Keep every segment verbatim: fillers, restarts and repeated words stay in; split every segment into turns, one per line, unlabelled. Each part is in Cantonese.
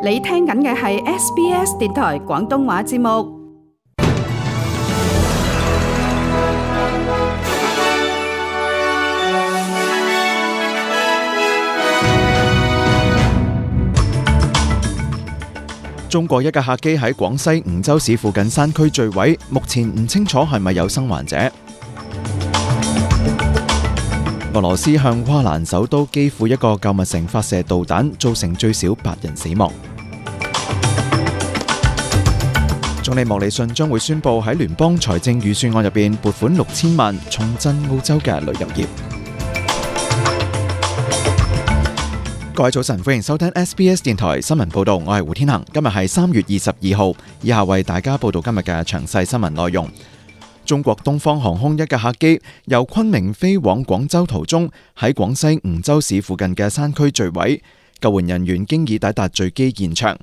你聽緊嘅係 S B S 電台廣東話節目。
中國一架客機喺廣西梧州市附近山區墜毀，目前唔清楚係咪有生還者。俄羅斯向烏克蘭首都基輔一個購物城發射導彈，造成最少八人死亡。總理莫里遜將會宣布喺聯邦財政預算案入邊撥款六千萬，重振澳洲嘅旅遊業。各位早晨，歡迎收聽 S B S 電台新聞報道，我係胡天恒。今日係三月二十二號，以下為大家報道今日嘅詳細新聞內容。中國東方航空一架客機由昆明飛往廣州途中，喺廣西梧州市附近嘅山區墜毀，救援人員經已抵達墜機現場。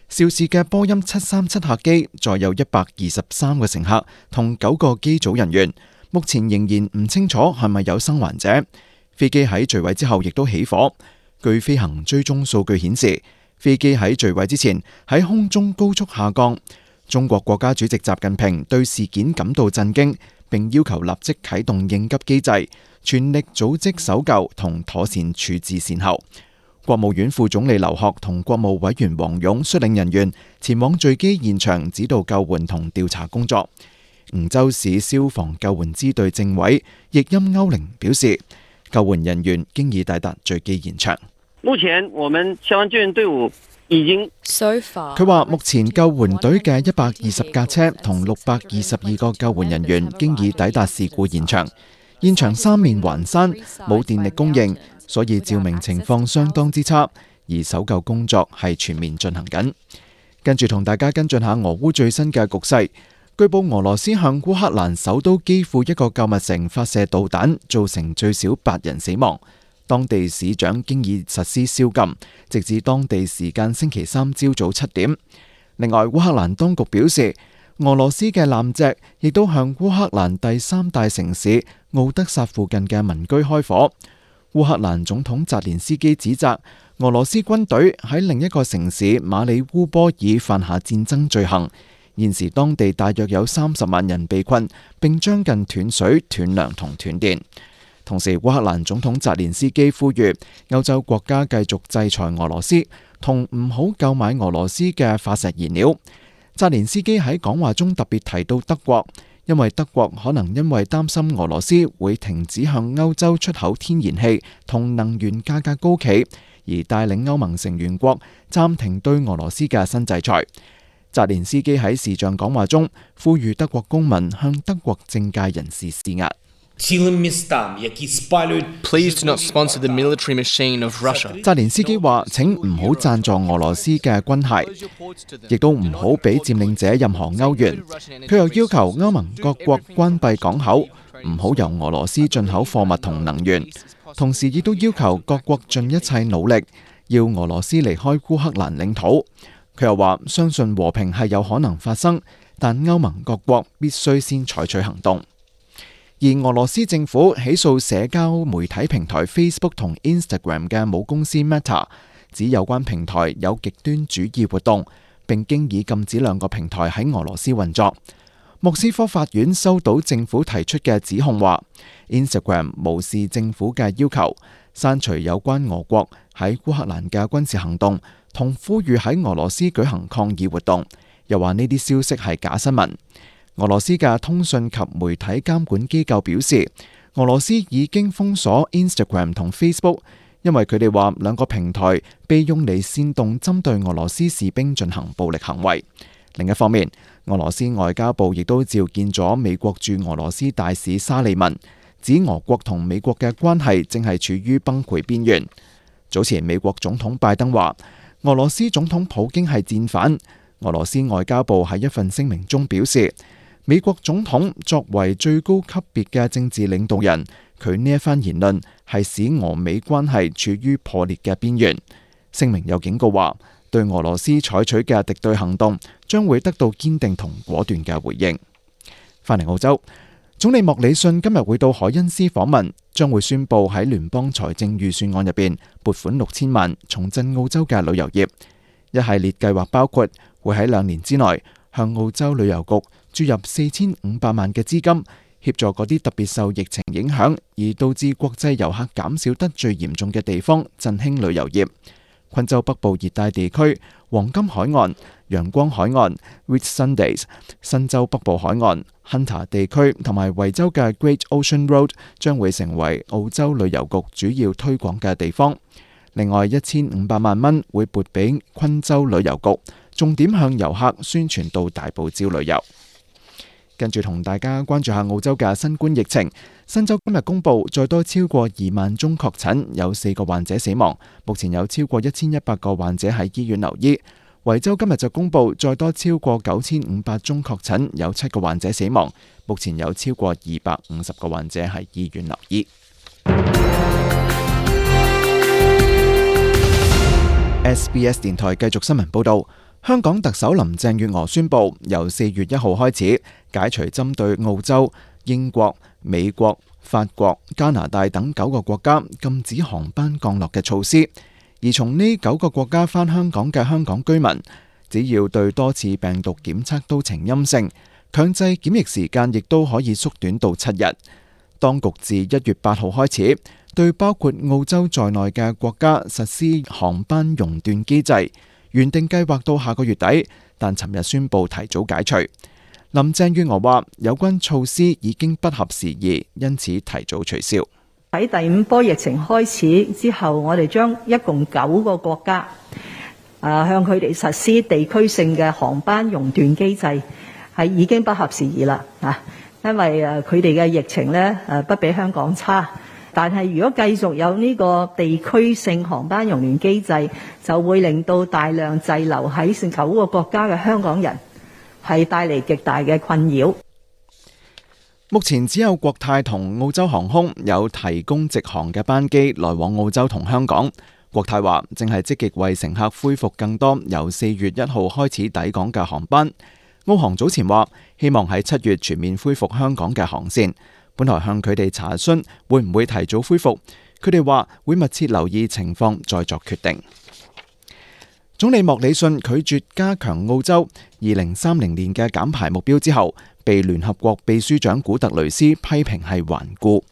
肇事嘅波音七三七客機載有一百二十三個乘客同九個機組人員，目前仍然唔清楚係咪有生還者。飛機喺墜毀之後亦都起火。據飛行追蹤數據顯示，飛機喺墜毀之前喺空中高速下降。中國國家主席習近平對事件感到震驚，並要求立即啟動應急機制，全力組織搜救同妥善處置善後。國務院副總理劉鶴同國務委員王勇率領人員前往墜機現場指導救援同調查工作。梧州市消防救援支隊政委易欽歐寧表示，救援人員經已抵達墜機現場。
目前我們消防救援隊伍已經，
佢話目前救援隊嘅一百二十架車同六百二十二個救援人員經已抵達事故現場。現場三面環山，冇電力供應，所以照明情況相當之差，而搜救工作係全面進行緊。跟住同大家跟進下俄烏最新嘅局勢。據報俄羅斯向烏克蘭首都基輔一個購物城發射導彈，造成最少八人死亡。當地市長經已實施宵禁，直至當地時間星期三朝早七點。另外，烏克蘭當局表示，俄羅斯嘅艦隻亦都向烏克蘭第三大城市敖德薩附近嘅民居開火。烏克蘭總統澤連斯基指責俄羅斯軍隊喺另一個城市馬里烏波爾犯下戰爭罪行。現時當地大約有三十萬人被困，並將近斷水、斷糧同斷電。同時，烏克蘭總統澤連斯基呼籲歐洲國家繼續制裁俄羅斯，同唔好購買俄羅斯嘅化石燃料。澤連斯基喺講話中特別提到德國，因為德國可能因為擔心俄羅斯會停止向歐洲出口天然氣同能源價格高企，而帶領歐盟成員國暫停對俄羅斯嘅新制裁。澤連斯基喺視像講話中呼籲德國公民向德國政界人士施壓。
Please do not sponsor the military machine of Russia.
澤連斯基話：請唔好贊助俄羅斯嘅軍械，亦都唔好俾佔領者任何歐元。佢又要求歐盟各國關閉港口，唔好由俄羅斯進口貨物同能源。同時亦都要求各國盡一切努力，要俄羅斯離開烏克蘭領土。佢又話：相信和平係有可能發生，但歐盟各國必須先採取行動。而俄羅斯政府起訴社交媒體平台 Facebook 同 Instagram 嘅母公司 Meta， 指有關平台有極端主義活動，並經已禁止兩個平台喺俄羅斯運作。莫斯科法院收到政府提出嘅指控，話 Instagram 無視政府嘅要求，刪除有關俄國喺烏克蘭嘅軍事行動，同呼籲喺俄羅斯舉行抗議活動，又話呢啲消息係假新聞。俄羅斯嘅通訊及媒體監管機構表示，俄羅斯已經封鎖 Instagram 同 Facebook， 因為佢哋話兩個平台被用嚟煽動針對俄羅斯士兵進行暴力行為。另一方面，俄羅斯外交部亦都召見咗美國駐俄羅斯大使沙利文，指俄國同美國嘅關係正係處於崩潰邊緣。早前美國總統拜登話，俄羅斯總統普京係戰犯。俄羅斯外交部喺一份聲明中表示，美國總統作為最高級別嘅政治領導人，佢呢一番言論係使俄美關係處於破裂嘅邊緣。聲明又警告話，對俄羅斯採取嘅敵對行動將會得到堅定同果斷嘅回應。翻嚟澳洲，總理莫里遜今日會到凱恩斯訪問，將會宣布喺聯邦財政預算案入邊撥款六千萬，重振澳洲嘅旅遊業。一系列計劃包括會喺兩年之內向澳洲旅遊局注入四千五百萬嘅資金，協助嗰啲特別受疫情影響而導致國際遊客減少得最嚴重嘅地方，振興旅遊業。昆州北部熱帶地區、黃金海岸、陽光海岸 （Whitsundays）、新州北部海岸、Hunter 地區同埋維州嘅 Great Ocean Road 將會成為澳洲旅遊局主要推廣嘅地方。另外，一千五百萬蚊會撥俾昆州旅遊局，重點向遊客宣傳到大堡礁旅遊。跟住同大家關注下澳洲嘅新冠疫情。新州今日公布再多超過二萬宗確診，有四個患者死亡。目前有超過一千一百個患者喺醫院留醫。維州今日就公布再多超過九千五百宗確診，有七個患者死亡。目前有超過二百五十個患者喺醫院留醫。S B S 電台繼續新聞報道。香港特首林鄭月娥宣布，由四月一號開始解除針對澳洲、英國、美國、法國、加拿大等九個國家禁止航班降落嘅措施。而從呢九個國家返香港嘅香港居民，只要對多次病毒檢測都呈陰性，強制檢疫時間亦都可以縮短到七日。當局自一月八號開始，對包括澳洲在內嘅國家實施航班熔斷機制。原定計劃到下個月底，但尋日宣布提早解除。林鄭月娥話：有關措施已經不合時宜，因此提早取消。
喺第五波疫情開始之後，我哋將一共九個國家啊向佢哋實施地區性嘅航班熔斷機制，係已經不合時宜啦啊！因為誒佢哋嘅疫情咧誒不比香港差。但係如果繼續有呢個地區性航班熔斷機制，就會令到大量滯留喺九個國家嘅香港人係帶嚟極大嘅困擾。
目前只有國泰同澳洲航空有提供直航嘅班機來往澳洲同香港。國泰話正係積極為乘客恢復更多由四月一號開始抵港嘅航班。澳航早前話希望喺七月全面恢復香港嘅航線。本來向佢哋查詢會唔會提早恢復，佢哋話會密切留意情況再作決定。總理莫里遜拒絕加強澳洲二零三零年嘅減排目標之後，被聯合國秘書長古特雷斯批評係頑固。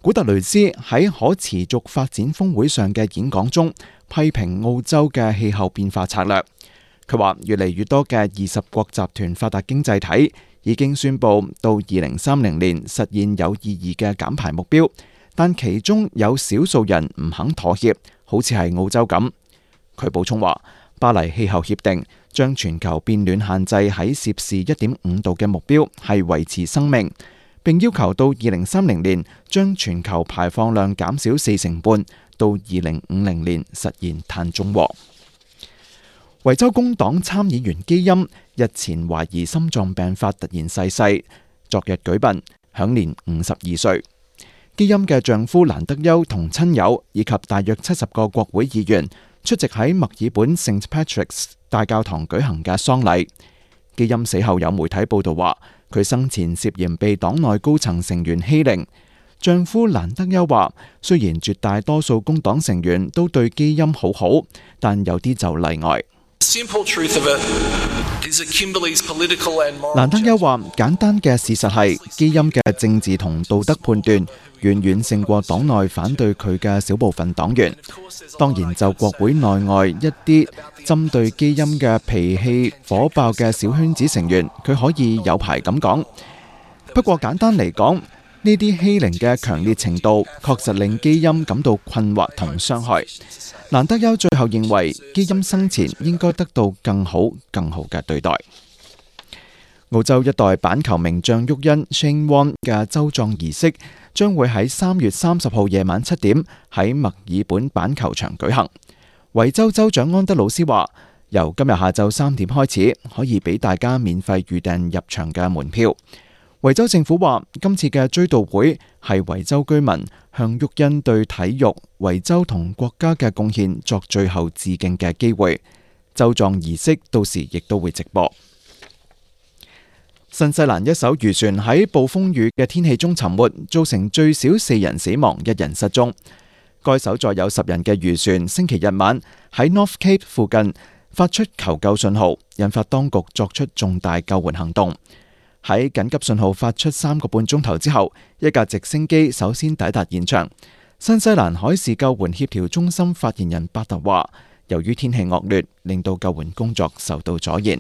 古特雷斯喺可持續發展峰會上嘅演講中，批評澳洲嘅氣候變化策略。佢話越嚟越多嘅二十國集團發達經濟體已經宣布到二零三零年實現有意義嘅減排目標，但其中有少數人唔肯妥協，好似係澳洲咁。佢補充話，巴黎氣候協定將全球變暖限制喺攝氏一點五度嘅目標係維持生命，並要求到二零三零年將全球排放量減少四成半，到二零五零年實現碳中和。維州工黨參議員基欽日前懷疑心臟病發突然逝世，昨日舉殯，享年五十二歲。基欽嘅丈夫蘭德丘同親友以及大約七十個國會議員出席喺墨爾本 Saint Patrick's 大教堂舉行嘅喪禮。基欽死後有媒體報道話，佢生前涉嫌被黨內高層成員欺凌。丈夫蘭德丘話，雖然絕大多數工黨成員都對基欽好好，但有啲就例外。蘭德丘話：簡單嘅事實係，基欽嘅政治同道德判斷遠遠勝過黨內反對佢嘅小部分黨員。當然，就國會內外一啲針對基欽嘅脾氣火爆嘅小圈子成員，佢可以有排咁講。不過簡單嚟講，呢啲欺凌嘅強烈程度，確實令基欽感到困惑同傷害。蘭德丘最後認為，基欽生前應該得到更好、更好嘅對待。澳洲一代板球名將沃恩 Shane Warne 嘅州葬儀式將會喺三月三十號夜晚七點喺墨爾本板球場舉行。維州州長安德魯斯話，由今日下晝三點開始，可以俾大家免費預訂入場嘅門票。維州政府話，今次嘅追悼會係維州居民向沃恩對體育、維州同國家嘅貢獻作最後致敬嘅機會。州葬儀式到時亦都會直播。新西蘭一艘漁船喺暴風雨嘅天氣中沉沒，造成最少四人死亡，一人失蹤。該艘載有十人嘅漁船星期日晚喺 North Cape 附近發出求救信號，引發當局作出重大救援行動。喺緊急信號發出三個半鐘頭之後，一架直升機首先抵達現場。新西蘭海事救援協調中心發言人巴特話，由於天氣惡劣，令到救援工作受到阻延。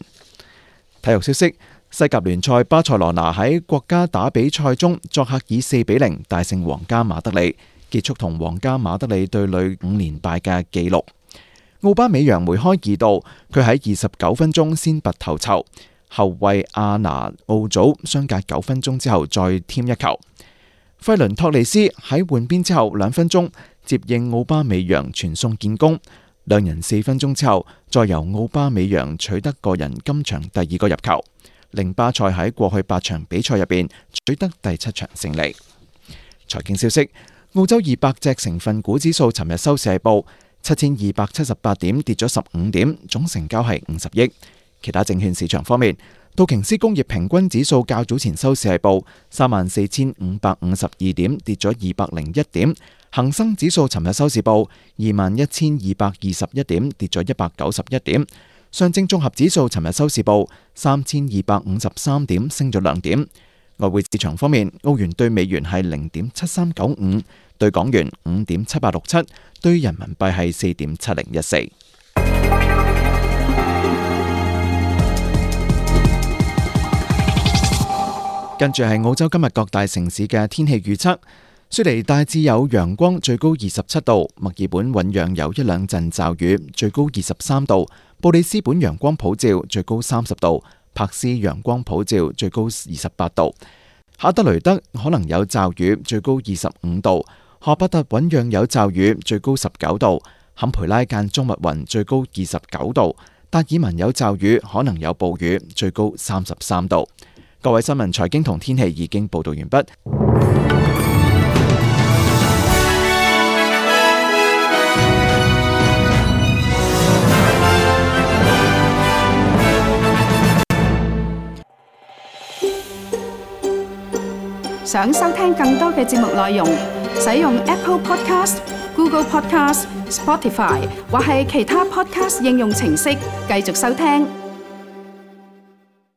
體育消息：西甲聯賽巴塞羅那喺國家打比賽中作客以四比零大勝皇家馬德里，結束同皇家馬德里對壘五連敗嘅紀錄。奧巴美揚梅開二度，佢喺二十九分鐘先拔頭籌，後衛阿拿奧祖相隔九分鐘之後再添一球。費倫托利斯喺換邊之後兩分鐘接應奧巴美揚傳送建功，兩人四分鐘之後再由奧巴美揚取得個人今場第二個入球，令巴塞喺過去八場比賽入邊取得第七場勝利。財經消息：澳洲二百隻成分股指數尋日收市係報七千二百七十八點，跌咗十五點，總成交係五十億。其他證券市場方面，道瓊斯工業平均指數較早前收市係報三萬四千五百五十二點，跌咗二百零一點。恒生指數尋日收市報二萬一千二百二十一點，跌咗一百九十一點。上證綜合指數尋日收市報三千二百五十三點，升咗兩點。外匯市場方面，澳元對美元係零點七三九五，對港元五點七八六七，對人民幣係四點七零一四。跟住係澳洲今日各大城市嘅天氣預測：雪梨大致有陽光，最高二十七度；墨爾本醞釀有一兩陣驟雨，最高二十三度；布里斯本陽光普照，最高三十度；柏斯陽光普照，最高二十八度；哈德雷德可能有驟雨，最高二十五度；荷伯特醞釀有驟雨，最高十九度；坎培拉間中密雲，最高二十九度；達爾文有驟雨，可能有暴雨，最高三十三度。各位新聞、財經同天氣已經報道完畢。
想收聽更多嘅節目內容，使用 Apple Podcast、Google Podcast、Spotify 或係其他 Podcast 應用程式繼續收聽。